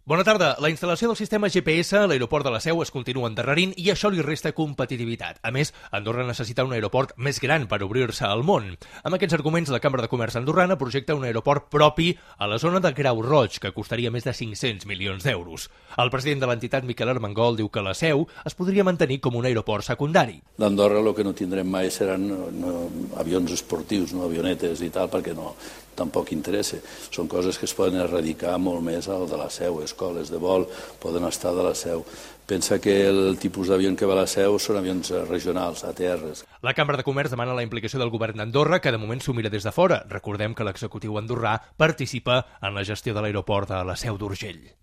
Bona tarda. La instal·lació del sistema GPS a l'aeroport de la Seu es continua endarrerint i això li resta competitivitat. A més, Andorra necessita un aeroport més gran per obrir-se al món. Amb aquests arguments, la Cambra de Comerç andorrana projecta un aeroport propi a la zona de Grau Roig, que costaria més de 500 milions d'euros. El president de l'entitat, Miquel Armengol, diu que la Seu es podria mantenir com un aeroport secundari. D'Andorra el que no tindrem mai seran avions esportius, avionetes i tal, perquè tampoc interessa. Són coses que es poden erradicar molt més al de la Seu. Escoles de vol poden estar de la Seu. Pensa que el tipus d'avió que va a la Seu són avions regionals, ATRs. La Cambra de Comerç demana la implicació del govern d'Andorra, que de moment s'ho mira des de fora. Recordem que l'executiu andorrà participa en la gestió de l'aeroport de la Seu d'Urgell.